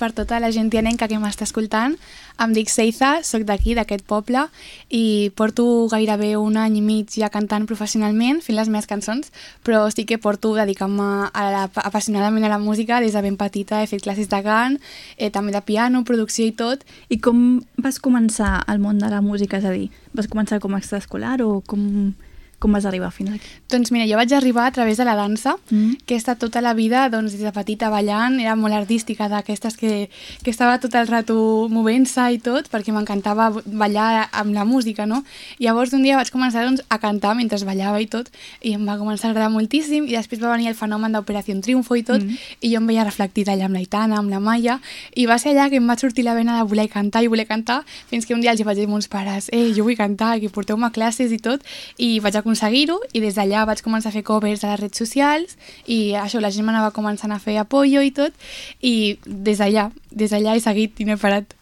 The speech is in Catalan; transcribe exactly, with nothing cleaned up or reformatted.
per tota la gent tianenca que m'està escoltant. Em dic Seiza, soc d'aquí, d'aquest poble, i porto gairebé un any i mig ja cantant professionalment, fent les meves cançons, però sí que porto dedicant-me a la, apassionadament a la música des de ben petita. He fet classes de cant, eh, també de piano, producció i tot. I com vas començar al món de la música? És a dir, vas començar com a extraescolar o com... Com vas arribar fins aquí? Doncs mira, jo vaig arribar a través de la dansa, mm. que he estat tota la vida, doncs, des de petita ballant, era molt artística, d'aquestes que, que estava tot el rato movent-se i tot, perquè m'encantava ballar amb la música, no? I llavors un dia vaig començar doncs, a cantar mentre ballava i tot, i em va començar a agradar moltíssim, i després va venir el fenomen d'Operació Triunfo i tot, mm. i jo em veia reflectida allà amb l'Aitana, amb la Maia, i va ser allà que em va sortir la vena de voler cantar i voler cantar, fins que un dia els vaig dir a meus pares, eh, jo vull cantar, que porteu-me classes i tot, i vaig aconseguir-ho, i des d'allà vaig començar a fer covers a les redes socials i això, la gent m'anava començant a fer apoyo i tot, i des d'allà, des d'allà he seguit i no he parat.